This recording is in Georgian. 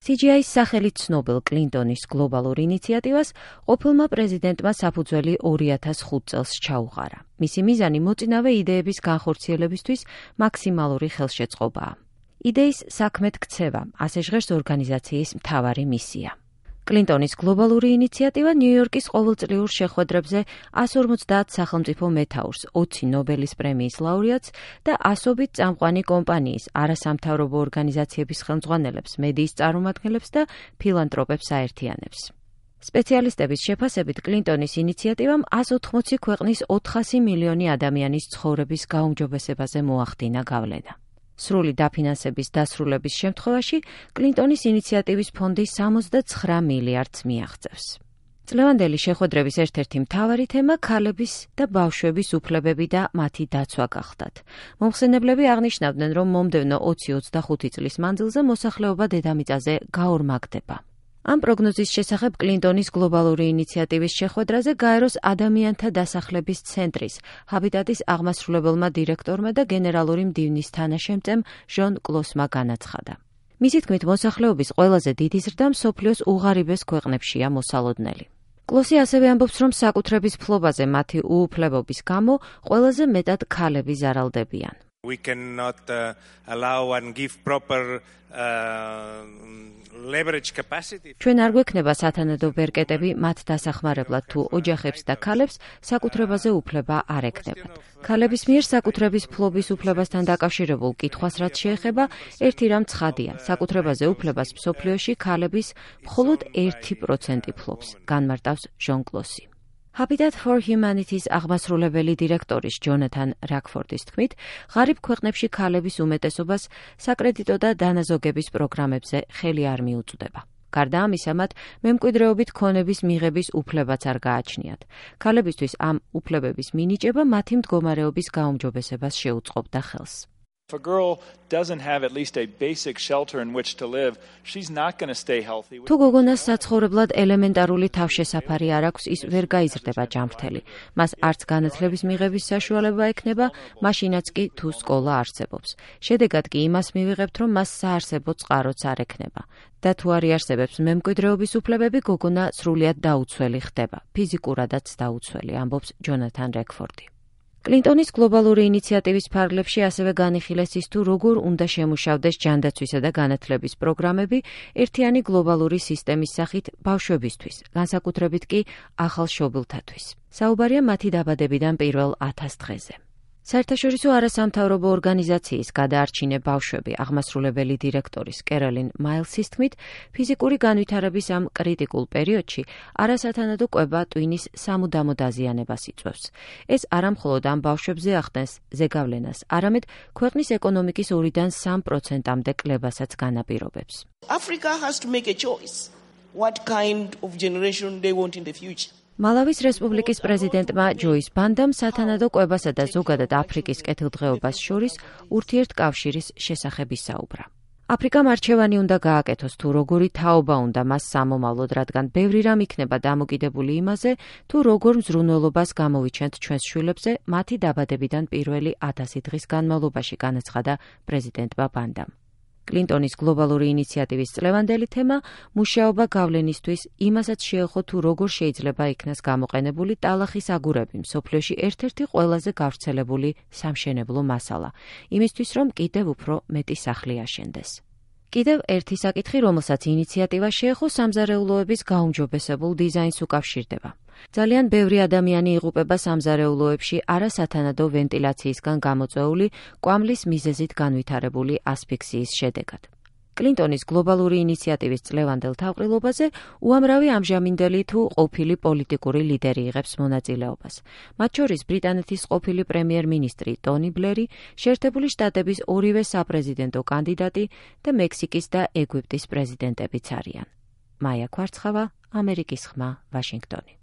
CGI-ის სახელით ცნობილ კლინტონის გლობალურ ინიციატივას ყოფილმა პრეზიდენტმა საფუძველი 2005 წელს ჩაუყარა. მისი მიზანი მოწინავე იდეების განხორციელებისთვის მაქსიმალური ხელშეწყობაა. იდეის საქმედ ქცევა, ასე ჟღერს ორგანიზაციის მთავარი მისია. კლინტონის გლობალური ინიციატივა ნიუ-იორკის ყოველწლიურ შეხვედრებზე 150 სახელმწიფო მეთაურს, 20 ნობელის პრემიის ლაურეატს და ასობით წამყვანი კომპანიის, არასამთავრობო ორგანიზაციების ხელმძღვანელებს, მედიის წარმომადგენლებს და ფილანტროპებს აერთიანებს. სპეციალისტების შეფასებით კლინტონის ინიციატივამ 180 ქვეყნის 400 მილიონი ადამიანის ცხოვრების გაუმჯობესებაზე მოახდინა გავლენა. სრული დაფინანსების დასრულების შემთხვევაში კლინტონის ინიციატივის ფონდი 69 მილიარდს მიაღწევს. წლევანდელი შეხვედრების ერთ-ერთი მთავარი თემა ქალების და ბავშვების უფლებები და მათი დაცვა გახდათ. მომხსენებლები აღნიშნავდნენ, რომ მომდევნო 20-25 წლის მანძილზე მოსახლეობა დედამიწაზე გაორმაგდება. ამ პროგნოზის შესახებ კლინტონის გლობალური ინიციატივის შეხვედრაზე გაეროს ადამიანთა დასახლების ცენტრის ჰაბიტატის აღმასრულებელმა დირექტორმა და გენერალური მდივნის თანაშემწემ ჟონ კლოსმა განაცხადა. მისი თქმით, მოსახლეობის ყველაზე დიდი ზრდა მსოფლიოს უღარიბეს ქვეყნებშია მოსალოდნელი. კლოსი ასევე ამბობს, რომ საკუთრების ფლობაზე მათი უუფლებობის გამო ყველაზე მეტად ქალები ზარალდებიან. We cannot allow and give proper leverage capacity. ჩვენ არ გვექნება სათანადო ბერკეტები მათ დასახმარებლად, თუ ოჯახებს და ქალებს საკუთრებაზე უფლება არ ექნებათ. ქალების მიერ საკუთრების ფლობის უფლებასთან დაკავშირებულ კითხვას რაც შეეხება, ერთი რამ ცხადია, საკუთრებაზე უფლებას მსოფლიოში ქალების მხოლოდ 1% ფლობს, განმარტავს ჟონ კლოსი. Habitat for Humanity-ის აღმასრულებელი დირექტორის ჯონათან რაკფორდის თქმით, ღარიბ ქვეყნებში ქალების უმეტესობას საკრედიტო და დანაზოგების პროგრამებზე ხელი არ მიუწვდება. გარდა ამისა, მათ მემკვიდრეობით ქონების მიღების უფლებაც არ გააჩნიათ. ქალებისთვის ამ უფლებების მინიჭება მათი მდგომარეობის გაუმჯობესებას შეუწყობდა ხელს. If a girl doesn't have at least a basic shelter in which to live, she's not going to stay healthy. თუ გოგონას საცხოვრებლად ელემენტარული თავშესაფარი არ აქვს, ის ვერ გაიზრდება ჯანმრთელი. მას არც განათლების მიღების საშუალება ექნება, მაშინაც კი თუ სკოლა არსებობს. შედეგად კი იმას მივიღებთ, რომ მას საარსებო წყაროც არ ექნება. და თუ არ იარსებებს მემკვიდრეობის უფლებები, გოგონა სრულიად დაუცველი ხდება, ფიზიკურადაც დაუცველი, ამბობს ჯონათან რაკფორდი. კლინტონის გლობალური ინიციატივის ფარგლებში ასევე განიხილეს ის, თუ როგორ უნდა შემუშავდეს ჯანდაცვისა და განათლების პროგრამები ერთიანი გლობალური სისტემის სახით ბავშვებისთვის, განსაკუთრებით კი ახალშობილთათვის. საუბარია მათი დაბადებიდან პირველ 1000 დღეზე. საერთაშორისო არასამთავრობო ორგანიზაციის გადაარჩინე ბავშვები აღმასრულებელი დირექტორის კეროლინ მაილსის თქმით, ფიზიკური განვითარების ამ კრიტიკულ პერიოდში არასათანადო კვება ტვინის სამუდამო დაზიანებას იწვევს. ეს არამხოლოდ ამ ბავშვებზე ახდენს ზეგავლენას, არამედ ქვეყნის ეკონომიკის 2-დან 3%-მდე კლებასაც განაპირობებს. Africa has to make a choice what kind of generation they want in the future. მალავის რესპუბლიკის პრეზიდენტმა ჯოის ბანდამ სათანადო კვებასა და ზოგადად აფრიკის კეთილდღეობას შორის ურთიერთკავშირის შესახებ ისაუბრა. აფრიკამ არჩევანი უნდა გააკეთოს, თუ როგორი თაობა უნდა მას სამომავლოდ, რადგან ბევრი რამ იქნება დამოკიდებული იმაზე, თუ როგორ მზრუნველობას გამოვიჩენთ ჩვენს შვილებზე მათი დაბადებიდან პირველი 1000 დღის განმავლობაში, განაცხადა პრეზიდენტმა ბანდამ. კლინტონის გლობალური ინიციატივის წლევანდელი თემა მუშაობა გავლენისთვის იმასაც შეეხო, თუ როგორ შეიძლება იქნას გამოყენებული ტალახის აგურები მსოფლიოში ერთ-ერთი ყველაზე გავრცელებული სამშენებლო მასალა, იმისთვის რომ კიდევ უფრო მეტი სახლი აშენდეს. კიდევ ერთი საკითხი, რომელსაც ინიციატივა შეეხო, სამზარეულოების გაუმჯობესებულ დიზაინს უკავშირდება. ძალიან ბევრი ადამიანი იღუპება სამზარეულოებში არასათანადო ვენტილაციისგან გამოწვეული კვამლის მიზეზით განვითარებული ასფიქსიის შედეგად. კლინტონის გლობალური ინიციატივის წლევანდელ თავყრილობაზე უამრავი ამჟამინდელი თუ ყოფილი პოლიტიკური ლიდერი იღებს მონაწილეობას. მათ შორის ბრიტანეთის ყოფილი პრემიერ-მინისტრი ტონი ბლერი, შეერთებული შტატების ორივე საპრეზიდენტო კანდიდატი და მექსიკის და ეგვიპტის პრეზიდენტებიც არიან. მაია კვარცხავა, ამერიკის ხმა, ვაშინგტონი.